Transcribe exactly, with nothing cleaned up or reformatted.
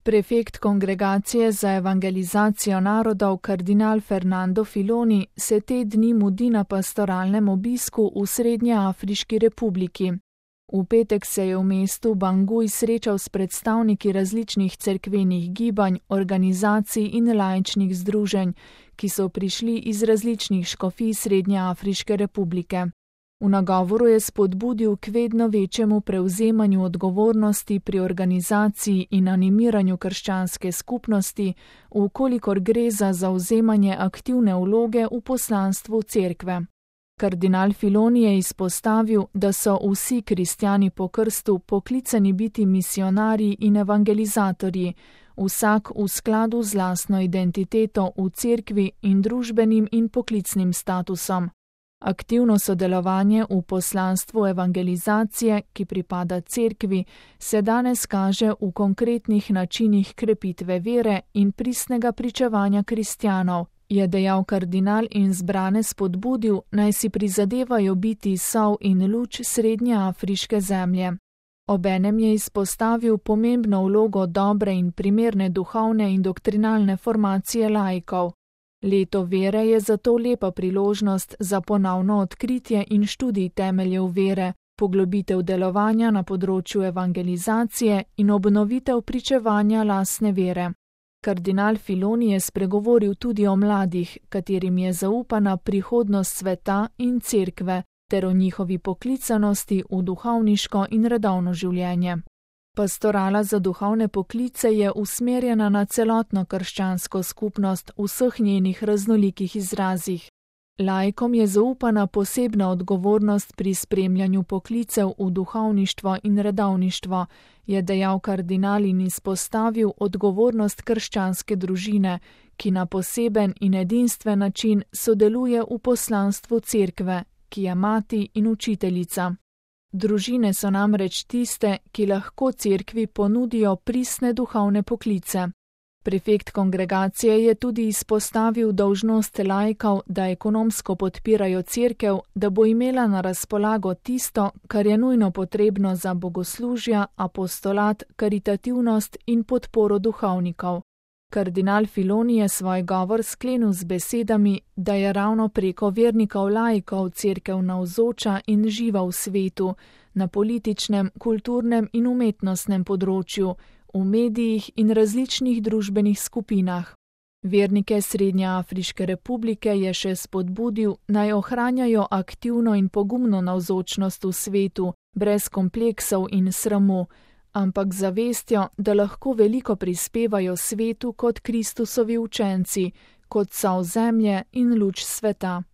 Prefekt Kongregacije za evangelizacijo narodov kardinal Fernando Filoni se te dni mudi na pastoralnem obisku v Srednjeafriški republiki. V petek se je v mestu Bangui srečal s predstavniki različnih cerkvenih gibanj, organizacij in laičnih združenj, ki so prišli iz različnih škofij Srednjeafriške republike. V nagovoru je spodbudil k vedno večjemu prevzemanju odgovornosti pri organizaciji in animiranju krščanske skupnosti, vkolikor gre za zavzemanje aktivne vloge v poslanstvu cerkve. Kardinal Filoni je izpostavil, da so vsi kristjani po krstu poklicani biti misionarji in evangelizatorji, vsak v skladu z lastno identiteto v cerkvi in družbenim in poklicnim statusom. Aktivno sodelovanje v poslanstvu evangelizacije, ki pripada cerkvi, se danes kaže v konkretnih načinih krepitve vere in pristnega pričevanja kristjanov, je dejal kardinal in zbrane spodbudil, naj si prizadevajo biti sol in luč srednjeafriške zemlje. Obenem je izpostavil pomembno vlogo dobre in primerne duhovne in doktrinalne formacije laikov. Leto vere je zato lepa priložnost za ponovno odkritje in študij temeljev vere, poglobitev delovanja na področju evangelizacije in obnovitev pričevanja lastne vere. Kardinal Filoni je spregovoril tudi o mladih, katerim je zaupana prihodnost sveta in cerkve, ter o njihovi poklicanosti v duhovniško in redovno življenje. Pastorala za duhovne poklice je usmerjena na celotno krščansko skupnost v vseh njenih raznolikih izrazih. Laikom je zaupana posebna odgovornost pri spremljanju poklicev v duhovništvo in redovništvo, je dejal kardinal in izpostavil odgovornost krščanske družine, ki na poseben in edinstven način sodeluje v poslanstvu cerkve, ki je mati in učiteljica. Družine so namreč tiste, ki lahko cerkvi ponudijo pristne duhovne poklice. Prefekt kongregacije je tudi izpostavil dolžnost laikov, da ekonomsko podpirajo cerkev, da bo imela na razpolago tisto, kar je nujno potrebno za bogoslužja, apostolat, karitativnost in podporo duhovnikov. Kardinal Filoni je svoj govor sklenil z besedami, da je ravno preko vernikov laikov cerkev navzoča in živa v svetu, na političnem, kulturnem in umetnostnem področju, v medijih in različnih družbenih skupinah. Vernike Srednjeafriške republike je še spodbudil, naj ohranjajo aktivno in pogumno navzočnost v svetu, brez kompleksov in sramu, ampak zavestjo, da lahko veliko prispevajo svetu kot Kristusovi učenci, kot sol zemlje in luč sveta.